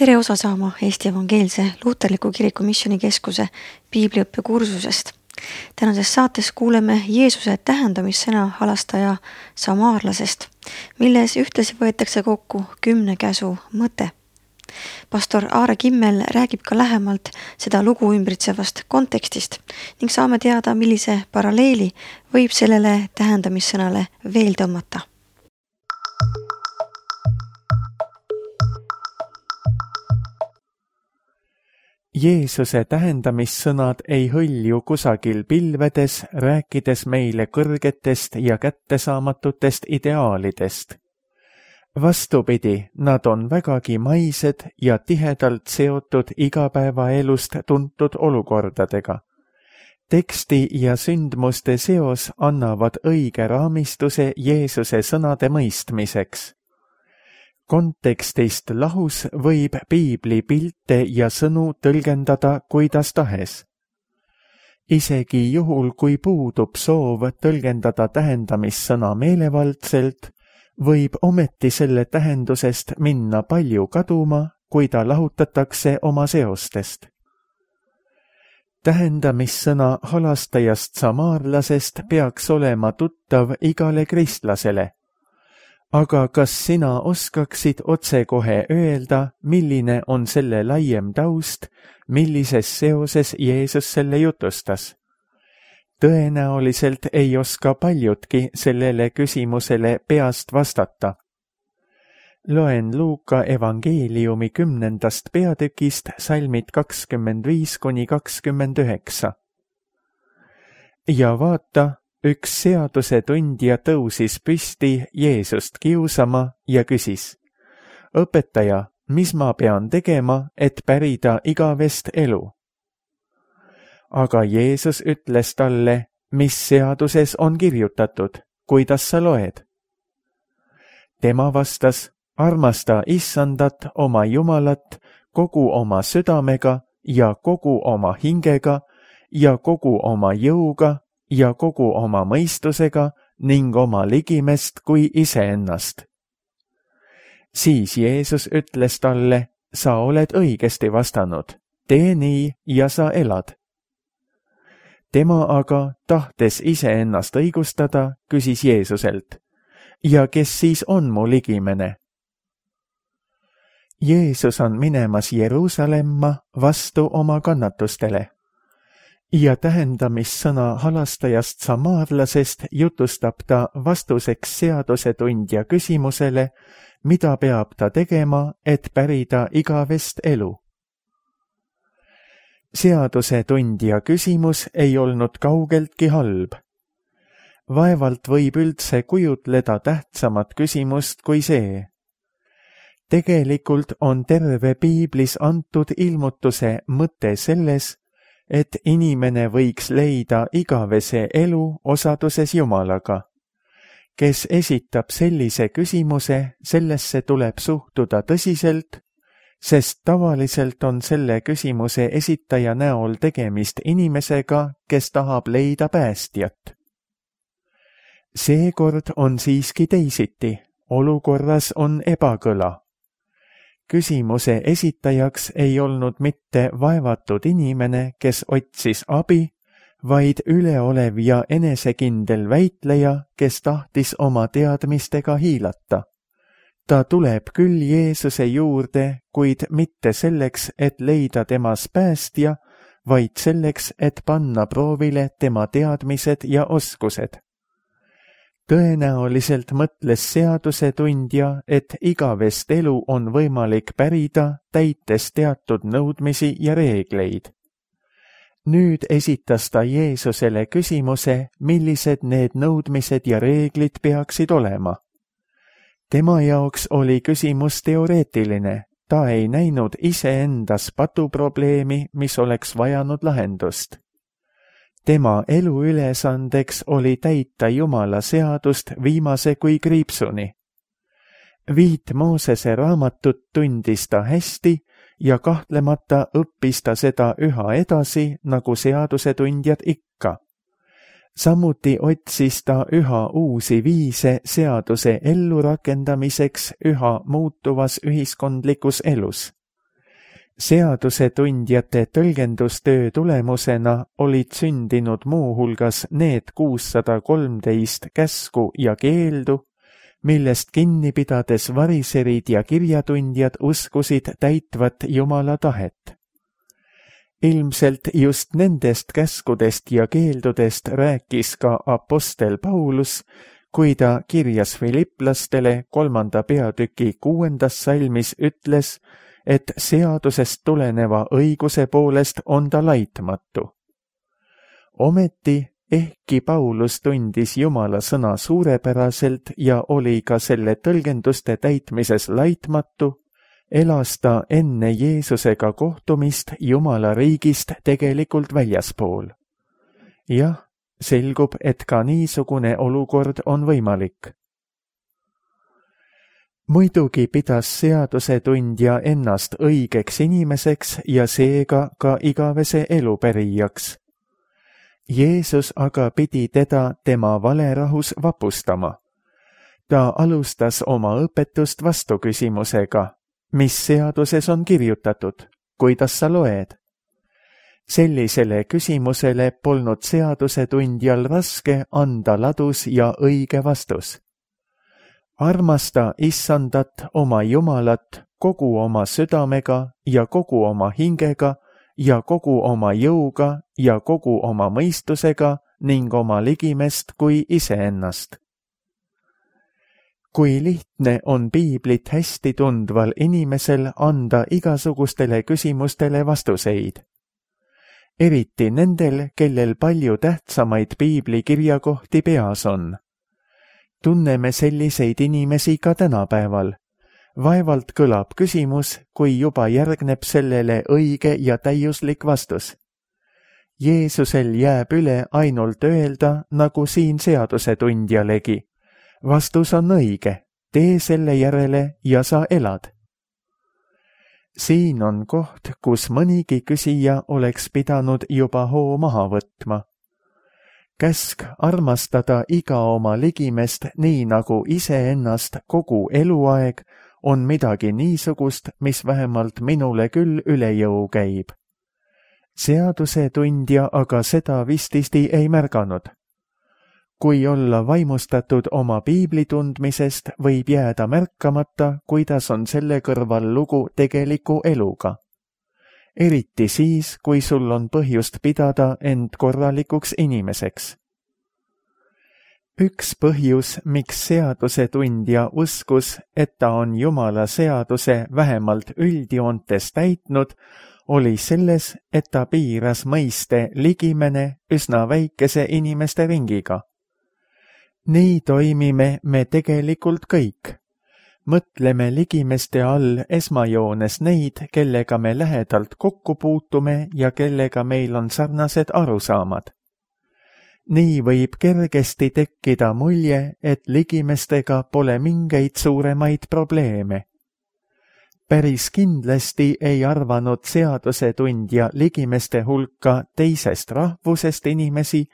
Tere osa saama Eesti Evangeelse Luuterliku Kiriku Missioonikeskuse piibliõppekursusest. Tänases saates kuuleme Jeesuse tähendamissõna halastaja samaarlasest, milles ühtlasi võetakse kokku 10 käsu mõte. Pastor Aare Kimmel räägib ka lähemalt seda lugu ümbritsevast kontekstist ning saame teada, millise paralleeli võib sellele tähendamissõnale veel tõmmata. Jeesuse tähendamissõnad ei hõlju kusagil pilvedes, rääkides meile kõrgetest ja kättesaamatutest ideaalidest. Vastupidi, nad on vägagi maised ja tihedalt seotud igapäevaelust tuntud olukordadega. Teksti ja sündmuste seos annavad õige raamistuse Jeesuse sõnade mõistmiseks. Kontekstist lahus võib piibli pilte ja sõnu tõlgendada kuidas tahes. Isegi juhul, kui puudub soov tõlgendada tähendamissõna meelevaldselt, võib ometi selle tähendusest minna palju kaduma, kui ta lahutatakse oma seostest. Tähendamissõna halastajast samaarlasest peaks olema tuttav igale kristlasele. Aga kas sina oskaksid otsekohe öelda, milline on selle laiem taust, millises seoses Jeesus selle jutustas? Tõenäoliselt ei oska paljudki sellele küsimusele peast vastata. Loen Luuka evangeeliumi 10. peatükist salmid 25–29. Ja vaata, üks seadusetundja tõusis püsti Jeesust kiusama ja küsis: Õpetaja, mis ma pean tegema, et pärida igavest elu? Aga Jeesus ütles talle: mis seaduses on kirjutatud, kuidas sa loed? Tema vastas: armasta Issandat oma Jumalat kogu oma südamega ja kogu oma hingega ja kogu oma jõuga ja kogu oma mõistusega ning oma ligimest kui iseennast. Siis Jeesus ütles talle: sa oled õigesti vastanud, tee nii ja sa elad. Tema aga, tahtes iseennast õigustada, küsis Jeesuselt: ja kes siis on mu ligimene? Jeesus on minemas Jeruusalemma vastu oma kannatustele. Ja tähendamissõna halastajast samaarlasest jutustab ta vastuseks seadusetundja küsimusele, mida peab ta tegema, et pärida igavest elu. Seadusetundja küsimus ei olnud kaugeltki halb. Vaevalt võib üldse kujutleda tähtsamat küsimust kui see. Tegelikult on terve piiblis antud ilmutuse mõte selles, et inimene võiks leida igavese elu osaduses Jumalaga. Kes esitab sellise küsimuse, sellesse tuleb suhtuda tõsiselt, sest tavaliselt on selle küsimuse esitaja näol tegemist inimesega, kes tahab leida päästjat. Seekord on siiski teisiti, olukorras on ebakõla. Küsimuse esitajaks ei olnud mitte vaevatud inimene, kes otsis abi, vaid üleolev ja enesekindel väitleja, kes tahtis oma teadmistega hiilata. Ta tuleb küll Jeesuse juurde, kuid mitte selleks, et leida temas päästja, vaid selleks, et panna proovile tema teadmised ja oskused. Tõenäoliselt mõtles seadusetundja, et igavest elu on võimalik pärida, täites teatud nõudmisi ja reegleid. Nüüd esitas ta Jeesusele küsimuse, millised need nõudmised ja reeglid peaksid olema. Tema jaoks oli küsimus teoreetiline, ta ei näinud iseendas patuprobleemi, mis oleks vajanud lahendust. Tema eluülesandeks oli täita Jumala seadust viimase kui kriipsuni. 5 Moosese raamatut tundis ta hästi ja kahtlemata õppis ta seda üha edasi, nagu seadusetundjad ikka. Samuti otsis ta üha uusi viise seaduse ellurakendamiseks üha muutuvas ühiskondlikus elus. Seadusetundjate tõlgendustöö tulemusena olid sündinud muuhulgas need 613 käsku ja keeldu, millest kinni pidades variserid ja kirjatundjad uskusid täitvat Jumala tahet. Ilmselt just nendest käskudest ja keeldudest rääkis ka apostel Paulus, kui ta kirjas Filipplastele 3. peatüki 6. salmis ütles, et seadusest tuleneva õiguse poolest on ta laitmatu. Ometi, ehkki Paulus tundis Jumala sõna suurepäraselt ja oli ka selle tõlgenduste täitmises laitmatu, elas ta enne Jeesusega kohtumist Jumala riigist tegelikult väljaspool. Jah, selgub, et ka niisugune olukord on võimalik. Muidugi pidas seadusetundja ennast õigeks inimeseks ja seega ka igavese elupärijaks. Jeesus aga pidi teda tema valerahus vapustama. Ta alustas oma õpetust vastuküsimusega, mis seaduses on kirjutatud, kuidas sa loed? Sellisele küsimusele polnud seadusetundjal raske anda ladus ja õige vastus. Armasta Issandat oma Jumalat kogu oma südamega ja kogu oma hingega ja kogu oma jõuga ja kogu oma mõistusega ning oma ligimest kui iseennast. Kui lihtne on piiblit hästi tundval inimesel anda igasugustele küsimustele vastuseid. Eriti nendel, kellel palju tähtsamaid piibli kirjakohti peas on. Tunneme selliseid inimesi ka tänapäeval. Vaevalt kõlab küsimus, kui juba järgneb sellele õige ja täiuslik vastus. Jeesusel jääb üle ainult öelda, nagu siin seadusetundjalegi. Vastus on õige, tee selle järele ja sa elad. Siin on koht, kus mõnigi küsija oleks pidanud juba hoo maha võtma. Käsk armastada iga oma ligimest nii nagu iseennast kogu eluaeg on midagi niisugust, mis vähemalt minule küll üle jõu käib. Seadusetundja aga seda vististi ei märganud. Kui olla vaimustatud oma piibli tundmisest, võib jääda märkamata, kuidas on selle kõrval lugu tegeliku eluga. Eriti siis, kui sul on põhjust pidada end korralikuks inimeseks. Üks põhjus, miks seadusetundja uskus, et ta on Jumala seaduse vähemalt üldjoontes täitnud, oli selles, et ta piiras mõiste ligimene üsna väikese inimeste ringiga. Nii toimime me tegelikult kõik. Mõtleme ligimeste all esmajoones neid, kellega me lähedalt kokku puutume ja kellega meil on sarnased arusaamad. Nii võib kergesti tekkida mulje, et ligimestega pole mingeid suuremaid probleeme. Päris kindlasti ei arvanud seadusetundja ligimeste hulka teisest rahvusest inimesi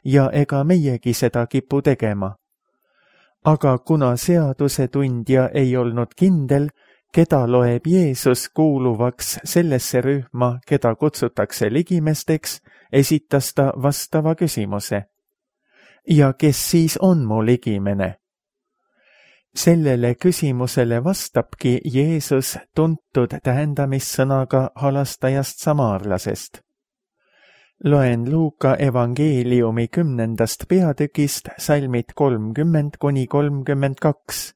ja ega meiegi seda kipu tegema. Aga kuna seadusetundja ei olnud kindel, keda loeb Jeesus kuuluvaks sellesse rühma, keda kutsutakse ligimesteks, esitas ta vastava küsimuse. Ja kes siis on mu ligimene? Sellele küsimusele vastabki Jeesus tuntud tähendamissõnaga halastajast samaarlasest. Loen Luuka evangeeliumi 10. peatükist salmid 30–32.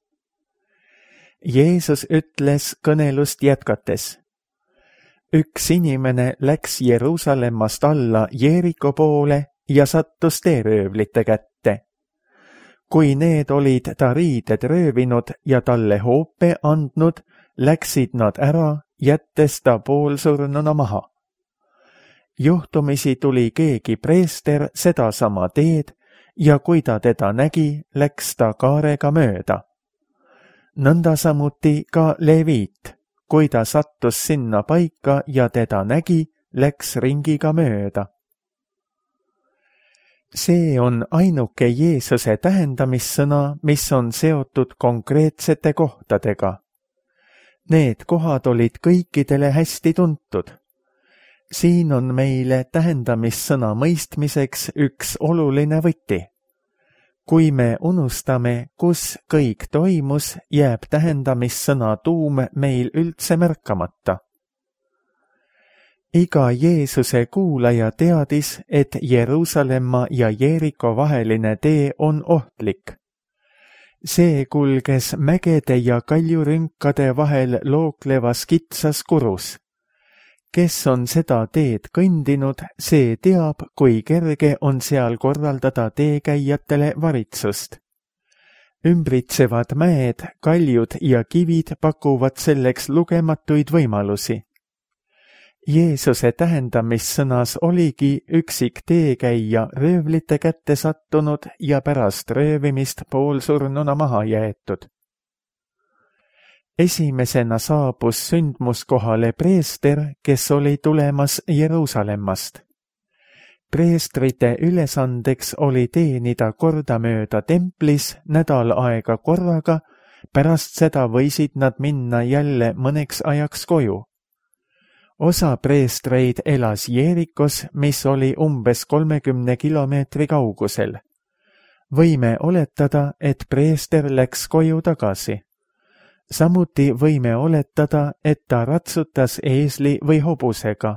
Jeesus ütles kõnelust jätkates. Üks inimene läks Jeruusalemmast alla Jeeriko poole ja sattus teeröövlite kätte. Kui need olid ta riided röövinud ja talle hoope andnud, läksid nad ära, jättes ta poolsurnuna maha. Juhtumisi tuli keegi preester sedasama teed ja kui ta teda nägi, läks ta kaarega mööda. Nõnda samuti ka leviit, kui ta sattus sinna paika ja teda nägi, läks ringiga mööda. See on ainuke Jeesuse tähendamissõna, mis on seotud konkreetsete kohtadega. Need kohad olid kõikidele hästi tuntud. Siin on meile tähendamissõna mõistmiseks üks oluline võti. Kui me unustame, kus kõik toimus, jääb tähendamissõna tuum meil üldse märkamata. Iga Jeesuse kuulaja teadis, et Jeruusalemma ja Jeeriko vaheline tee on ohtlik. See kulges mägede ja kaljurünkade vahel looklevas kitsas kurus. Kes on seda teed kõndinud, see teab, kui kerge on seal korraldada teekäijatele varitsust. Ümbritsevad mäed, kaljud ja kivid pakuvad selleks lugematuid võimalusi. Jeesuse tähendamissõnas oligi üksik teekäija röövlite kätte sattunud ja pärast röövimist poolsurnuna maha jäetud. Esimesena saabus sündmuskohale preester, kes oli tulemas Jeruusalemmast. Preestrite ülesandeks oli teenida kordamööda templis nädal aega korraga, pärast seda võisid nad minna jälle mõneks ajaks koju. Osa preestreid elas Jeerikos, mis oli umbes 30 kilomeetri kaugusel. Võime oletada, et preester läks koju tagasi. Samuti võime oletada, et ta ratsutas eesli või hobusega.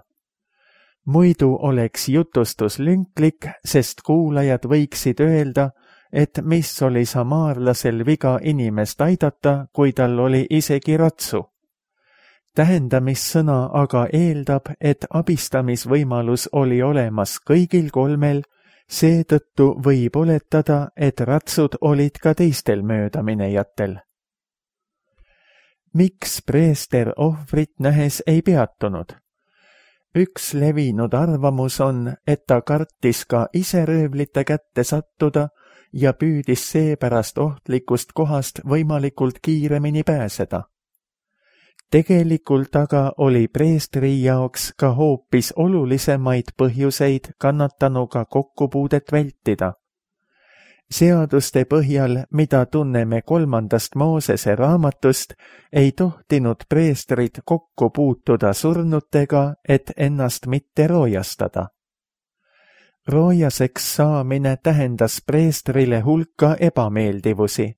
Muidu oleks jutustus lünklik, sest kuulajad võiksid öelda, et mis oli samaarlasel viga inimest aidata, kui tal oli isegi ratsu. Tähendamissõna aga eeldab, et abistamisvõimalus oli olemas kõigil kolmel, seetõttu võib oletada, et ratsud olid ka teistel möödaminejatel. Miks preester ohvrit nähes ei peatunud? Üks levinud arvamus on, et ta kartis ka ise röövlite kätte sattuda ja püüdis seepärast ohtlikust kohast võimalikult kiiremini pääseda. Tegelikult aga oli preestri jaoks ka hoopis olulisemaid põhjuseid kannatanuga kokkupuudet vältida. Seaduste põhjal, mida tunneme 3. Moosese raamatust, ei tohtinud preestrid kokku puutuda surnutega, et ennast mitte roojastada. Roojaseks saamine tähendas preestrile hulka ebameeldivusi.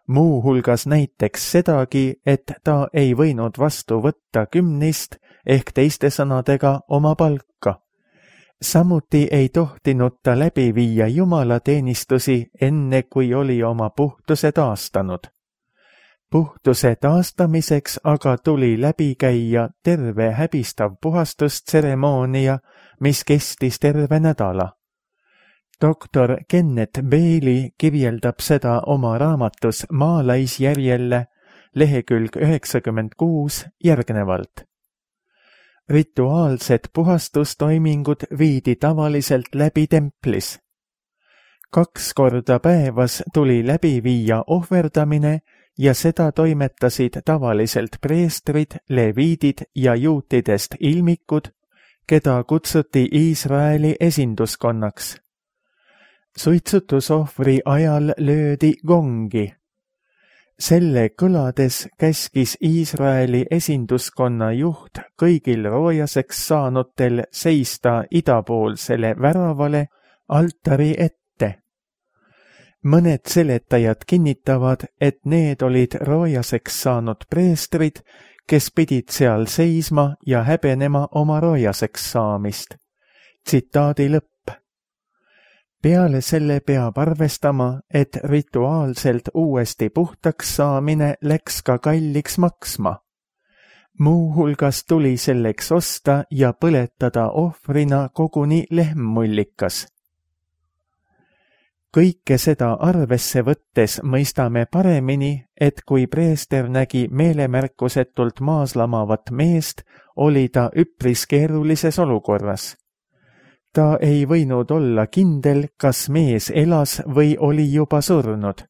Muu hulgas näiteks sedagi, et ta ei võinud vastu võtta kümnist ehk teiste sõnadega oma palka. Samuti ei tohtinud ta läbi viia jumalateenistusi enne, kui oli oma puhtuse taastanud. Puhtuse taastamiseks aga tuli läbi käia terve häbistav puhastustseremoonia, mis kestis terve nädala. Doktor Kenneth Bailey kirjeldab seda oma raamatus Maalaisjärjelle lehekülg 96 järgnevalt. Rituaalsed puhastustoimingud viidi tavaliselt läbi templis. 2 korda päevas tuli läbi viia ohverdamine ja seda toimetasid tavaliselt preestrid, leviidid ja juutidest ilmikud, keda kutsuti Iisraeli esinduskonnaks. Suitsutusohvri ajal löödi gongi. Selle kõlades käskis Iisraeli esinduskonna juht kõigil roojaseks saanutel seista idapoolsele väravale altari ette. Mõned seletajad kinnitavad, et need olid roojaseks saanud preestrid, kes pidid seal seisma ja häbenema oma roojaseks saamist. Tsitaadi lõpp. Peale selle peab arvestama, et rituaalselt uuesti puhtaks saamine läks ka kalliks maksma. Muu hulgas tuli selleks osta ja põletada ohvrina koguni lehmmullikas. Kõike seda arvesse võttes mõistame paremini, et kui preester nägi meelemärkusetult maas lamavat meest, oli ta üpris keerulises olukorras. Ta ei võinud olla kindel, kas mees elas või oli juba surnud.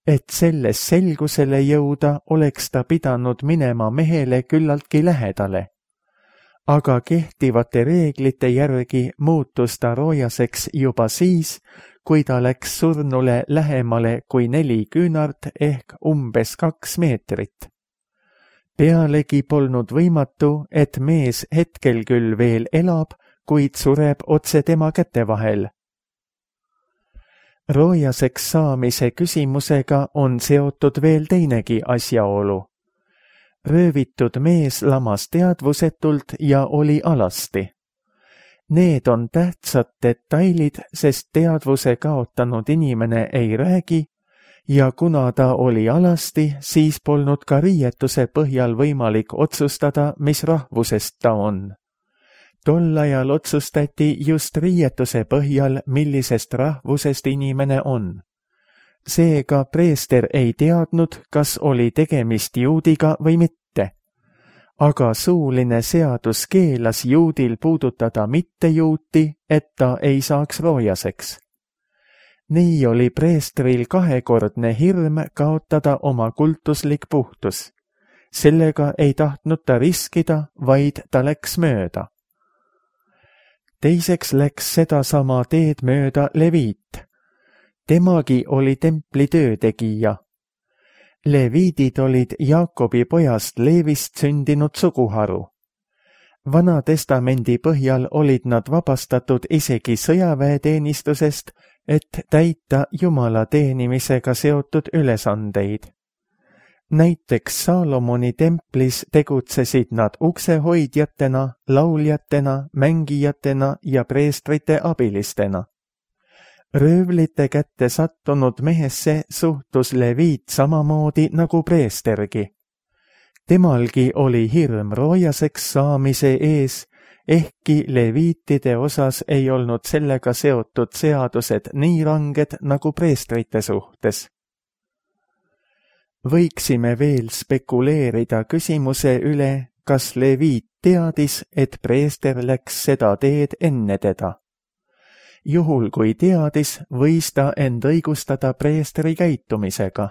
Et selles selgusele jõuda, oleks ta pidanud minema mehele küllaltki lähedale. Aga kehtivate reeglite järgi muutus ta roojaseks juba siis, kui ta läks surnule lähemale kui 4 küünart ehk umbes 2 meetrit. Pealegi polnud võimatu, et mees hetkel küll veel elab, kuid sureb otse tema käte vahel. Roojaseks saamise küsimusega on seotud veel teinegi asjaolu. Röövitud mees lamas teadvusetult ja oli alasti. Need on tähtsad detailid, sest teadvuse kaotanud inimene ei räägi ja kuna ta oli alasti, siis polnud ka riietuse põhjal võimalik otsustada, mis rahvusest ta on. Tol ajal otsustati just riietuse põhjal, millisest rahvusest inimene on. Seega preester ei teadnud, kas oli tegemist juudiga või mitte. Aga suuline seadus keelas juudil puudutada mittejuuti, et ta ei saaks roojaseks. Nii oli preestril kahekordne hirm kaotada oma kultuslik puhtus. Sellega ei tahtnud ta riskida, vaid ta läks mööda. Teiseks läks sedasama teed mööda leviit. Temagi oli templi töötegija. Leviidid olid Jaakobi pojast Leevist sündinud suguharu. Vana testamendi põhjal olid nad vabastatud isegi sõjaväeteenistusest, et täita Jumala teenimisega seotud ülesandeid. Näiteks Saalomoni templis tegutsesid nad uksehoidjatena, lauljatena, mängijatena ja preestrite abilistena. Röövlite kätte sattunud mehesse suhtus leviit samamoodi nagu preestergi. Temalgi oli hirm roojaseks saamise ees, ehkki leviitide osas ei olnud sellega seotud seadused nii ranged nagu preestrite suhtes. Võiksime veel spekuleerida küsimuse üle, kas leviit teadis, et preester läks seda teed enne teda. Juhul kui teadis, võis ta end õigustada preestri käitumisega.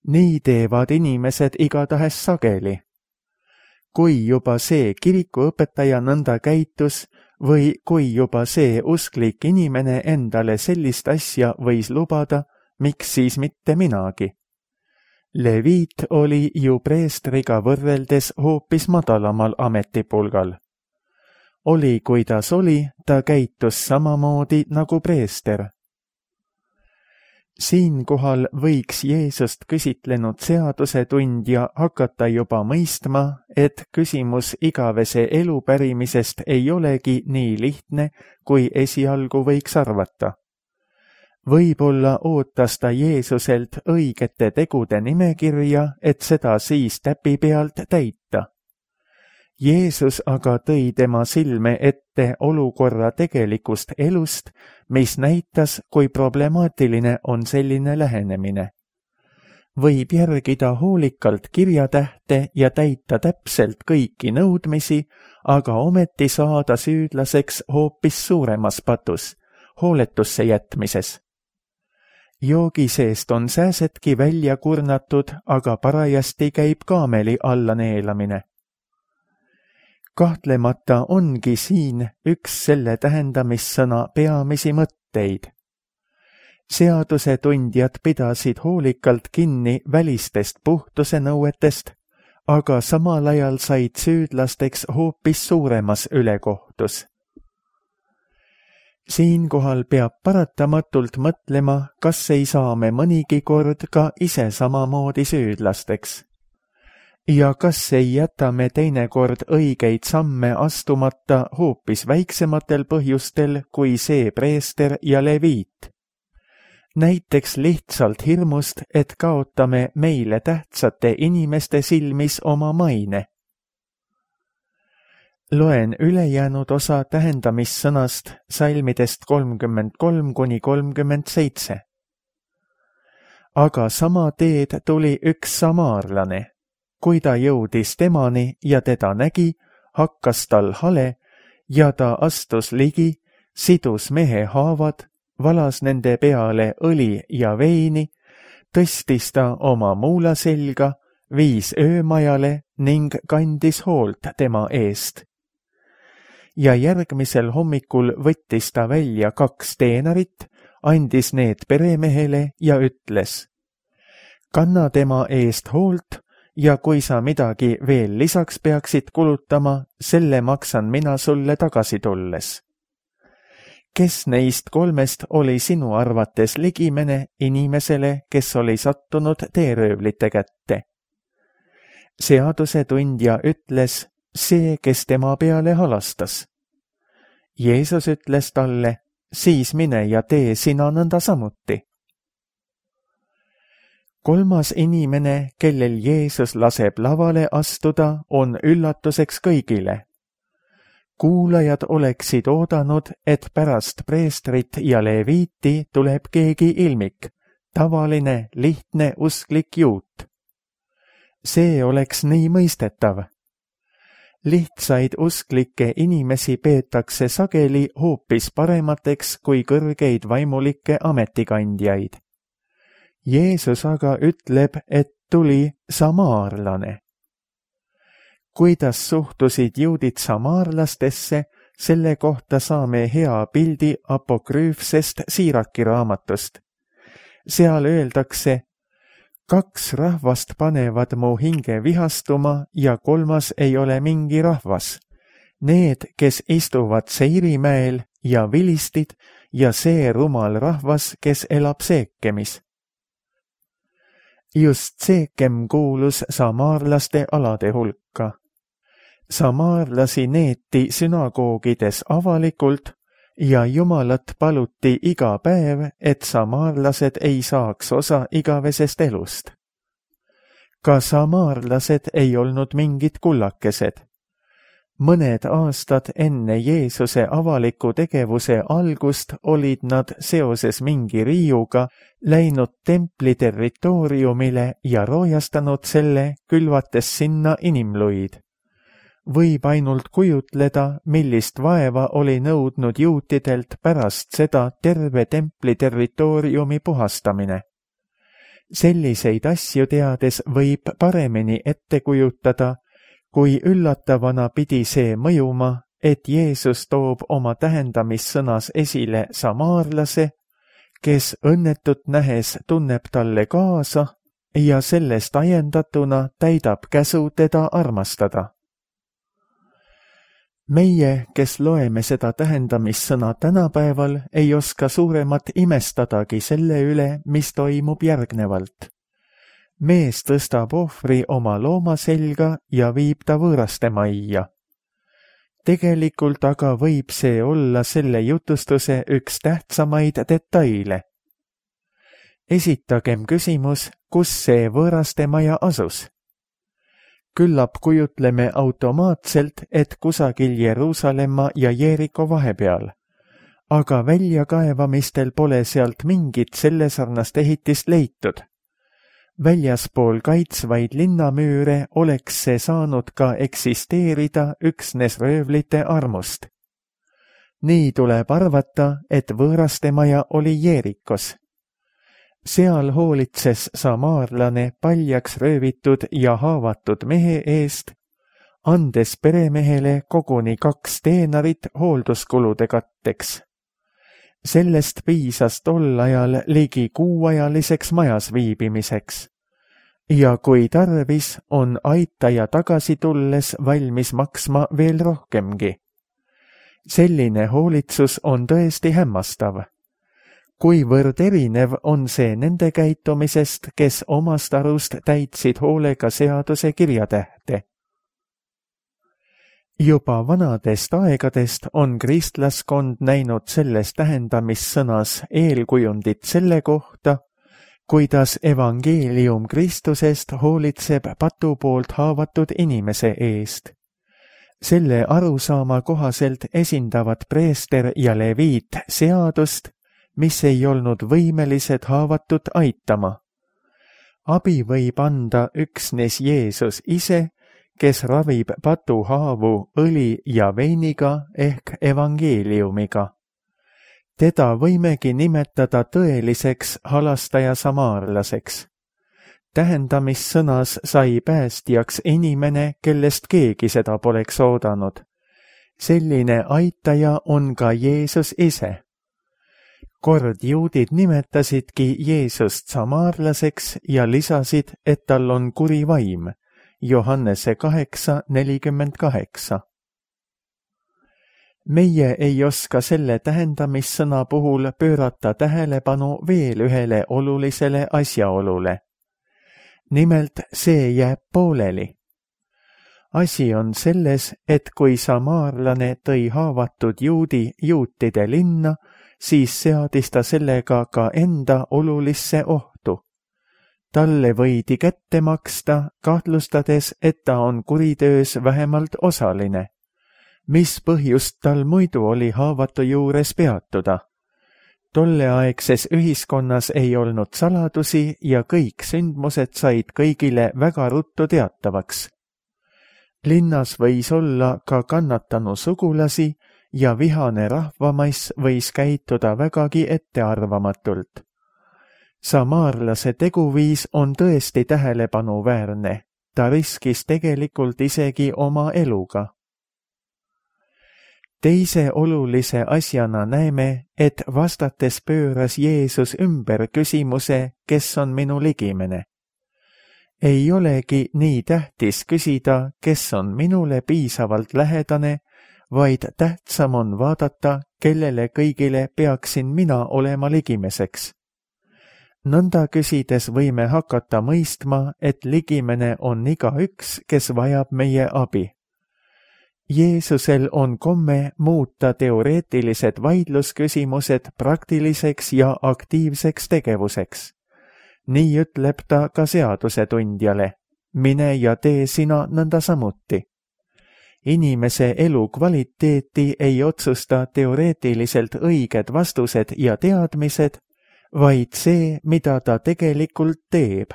Nii teevad inimesed igatahes sageli. Kui juba see kirikuõpetaja nõnda käitus või kui juba see usklik inimene endale sellist asja võis lubada, miks siis mitte minagi? Leviit oli ju preestriga võrreldes hoopis madalamal ametipulgal. Oli kuidas oli, ta käitus samamoodi nagu preester. Siinkohal võiks Jeesust küsitlenud seadusetundja hakata juba mõistma, et küsimus igavese elu pärimisest ei olegi nii lihtne, kui esialgu võiks arvata. Võib-olla ootas ta Jeesuselt õigete tegude nimekirja, et seda siis täpi pealt täita. Jeesus aga tõi tema silme ette olukorra tegelikust elust, mis näitas, kui problemaatiline on selline lähenemine. Võib järgida hoolikalt kirjatähte ja täita täpselt kõiki nõudmisi, aga ometi saada süüdlaseks hoopis suuremas patus, hooletusse jätmises. Joogi seest on sääsetki välja kurnatud, aga parajasti käib kaameli alla neelamine. Kahtlemata ongi siin üks selle tähendamissõna peamisi mõtteid. Seadusetundjad pidasid hoolikalt kinni välistest puhtuse nõuetest, aga samal ajal said süüdlasteks hoopis suuremas ülekohtus. Siinkohal peab paratamatult mõtlema, kas ei saa me mõnigi kord ka ise samamoodi süüdlasteks. Ja kas ei jäta me teinekord õigeid samme astumata hoopis väiksematel põhjustel kui see preester ja leviit? Näiteks lihtsalt hirmust, et kaotame meile tähtsate inimeste silmis oma maine. Loen ülejäänud osa tähendamissõnast salmidest 33–37. Aga sama teed tuli üks samaarlane. Kui ta jõudis temani ja teda nägi, hakkas tal hale ja ta astus ligi, sidus mehe haavad, valas nende peale õli ja veini, tõstis ta oma muula selga, viis öömajale ning kandis hoolt tema eest. Ja järgmisel hommikul võttis ta välja 2 teenarit, andis need peremehele ja ütles: kanna tema eest hoolt ja kui sa midagi veel lisaks peaksid kulutama, selle maksan mina sulle tagasi tulles. Kes neist kolmest oli sinu arvates ligimene inimesele, kes oli sattunud teeröövlite kätte? Seadusetundja ütles, see, kes tema peale halastas. Jeesus ütles talle, siis mine ja tee sina nõnda samuti. Kolmas inimene, kellel Jeesus laseb lavale astuda, on üllatuseks kõigile. Kuulajad oleksid oodanud, et pärast preestrit ja leviiti tuleb keegi ilmik, tavaline, lihtne usklik juut. See oleks nii mõistetav. Lihtsaid usklikke inimesi peetakse sageli hoopis paremateks kui kõrgeid vaimulikke ametikandjaid. Jeesus aga ütleb, et tuli samaarlane. Kuidas suhtusid juudid samaarlastesse, selle kohta saame hea pildi apokrüüfsest Siiraki raamatust. Seal öeldakse, 2 rahvast panevad mu hinge vihastuma ja 3. ei ole mingi rahvas. Need, kes istuvad Seirimäel ja vilistid ja see rumal rahvas, kes elab Seekemis. Just Seekem kuulus samaarlaste alade hulka. Samaarlasi neeti sünagoogides avalikult ja Jumalat paluti iga päev, et samaarlased ei saaks osa igavesest elust. Ka samaarlased ei olnud mingid kullakesed. Mõned aastad enne Jeesuse avaliku tegevuse algust olid nad seoses mingi riiuga läinud templi territooriumile ja roojastanud selle, külvates sinna inimluid. Võib ainult kujutleda, millist vaeva oli nõudnud juutidelt pärast seda terve templi territooriumi puhastamine. Selliseid asju teades võib paremini ette kujutada, kui üllatavana pidi see mõjuma, et Jeesus toob oma tähendamissõnas esile samaarlase, kes õnnetut nähes tunneb talle kaasa ja sellest ajendatuna täidab käsu teda armastada. Meie, kes loeme seda tähendamissõna tänapäeval, ei oska suuremat imestadagi selle üle, mis toimub järgnevalt. Mees tõstab ohvri oma looma selga ja viib ta võõraste majja. Tegelikult aga võib see olla selle jutustuse üks tähtsamaid detaile. Esitagem küsimus, kus see võõraste maja asus. Küllap kujutleme automaatselt, et kusagil Jeruusalemma ja Jeeriko vahepeal, aga väljakaevamistel pole sealt mingit sellesarnast ehitist leitud. Väljaspool kaitsvaid linnamüüre oleks see saanud ka eksisteerida üksnes röövlite armust. Nii tuleb arvata, et võõraste maja oli Jeerikos. Seal hoolitses samaarlane paljaks röövitud ja haavatud mehe eest, andes peremehele koguni 2 teenarit hoolduskulude katteks. Sellest piisas tol ajal ligi kuuajaliseks majas viibimiseks. Ja kui tarvis, on aitaja tagasi tulles valmis maksma veel rohkemgi. Selline hoolitsus on tõesti hämmastav. Kuivõrd erinev on see nende käitumisest, kes omast arust täitsid hoolega seaduse kirjatähte. Juba vanadest aegadest on kristlaskond näinud selles tähendamissõnas eelkujundit selle kohta, kuidas evangeelium Kristusest hoolitseb patu poolt haavatud inimese eest. Selle arusaama kohaselt esindavad preester ja leviit seadust, mis ei olnud võimelised haavatut aitama. Abi võib anda üksnes Jeesus ise, kes ravib patuhaavu õli ja veiniga ehk evangeeliumiga. Teda võimegi nimetada tõeliseks halastaja samaarlaseks. Tähendamissõnas sai päästjaks inimene, kellest keegi seda poleks oodanud. Selline aitaja on ka Jeesus ise. Kord juudid nimetasidki Jeesust samaarlaseks ja lisasid, et tal on kuri vaim, Johannese 8:48. meie ei oska selle tähendamissõna puhul pöörata tähelepanu veel ühele olulisele asjaolule. Nimelt see jääb pooleli. Asi on selles, et kui samaarlane tõi haavatud juudi juutide linna, siis seadis ta sellega ka enda olulisse ohtu. Talle võidi kätte maksta, kahtlustades, et ta on kuritöös vähemalt osaline. Mis põhjust tal muidu oli haavatu juures peatuda? Tolleaegses ühiskonnas ei olnud saladusi ja kõik sündmused said kõigile väga ruttu teatavaks. Linnas võis olla ka kannatanu sugulasi ja vihane rahvamass võis käituda vägagi ettearvamatult. Samaarlase teguviis on tõesti tähelepanuväärne. Ta riskis tegelikult isegi oma eluga. Teise olulise asjana näeme, et vastates pööras Jeesus ümber küsimuse, kes on minu ligimene. Ei olegi nii tähtis küsida, kes on minule piisavalt lähedane, vaid tähtsam on vaadata, kellele kõigile peaksin mina olema ligimeseks. Nõnda küsides võime hakata mõistma, et ligimene on igaüks, kes vajab meie abi. Jeesusel on komme muuta teoreetilised vaidlusküsimused praktiliseks ja aktiivseks tegevuseks. Nii ütleb ta ka seadusetundjale, mine ja tee sina nõnda samuti. Inimese elu kvaliteeti ei otsusta teoreetiliselt õiged vastused ja teadmised, vaid see, mida ta tegelikult teeb.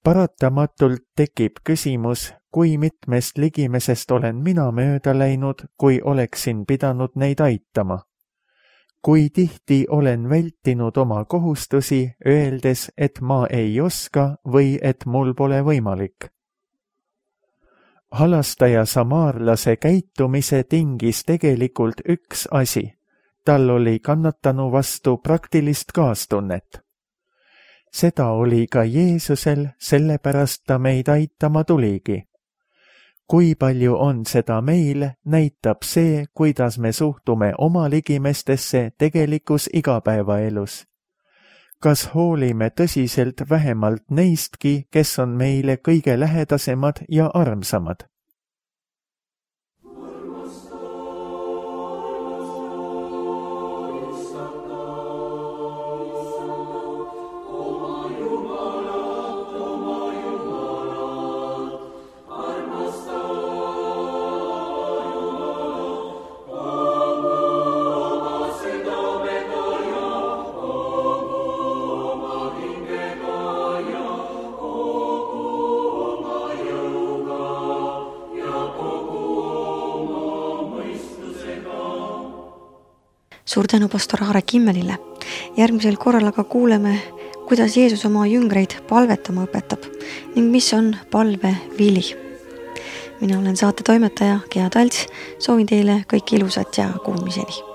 Paratamatult tekib küsimus, kui mitmest ligimesest olen mina mööda läinud, kui oleksin pidanud neid aitama. Kui tihti olen vältinud oma kohustusi, öeldes, et ma ei oska või et mul pole võimalik. Halastaja samaarlase käitumise tingis tegelikult üks asi. Tal oli kannatanu vastu praktilist kaastunnet. Seda oli ka Jeesusel, sellepärast ta meid aitama tuligi. Kui palju on seda meil, näitab see, kuidas me suhtume oma ligimestesse tegelikus igapäevaelus. Kas hoolime tõsiselt vähemalt neistki, kes on meile kõige lähedasemad ja armsamad? Suur tänu pastor Aare Kimmelile. Järgmisel korral aga kuuleme, kuidas Jeesus oma jüngreid palvetama õpetab ning mis on palve vili. Mina olen saate toimetaja Gea Talts, soovin teile kõike ilusat ja kuulmiseni.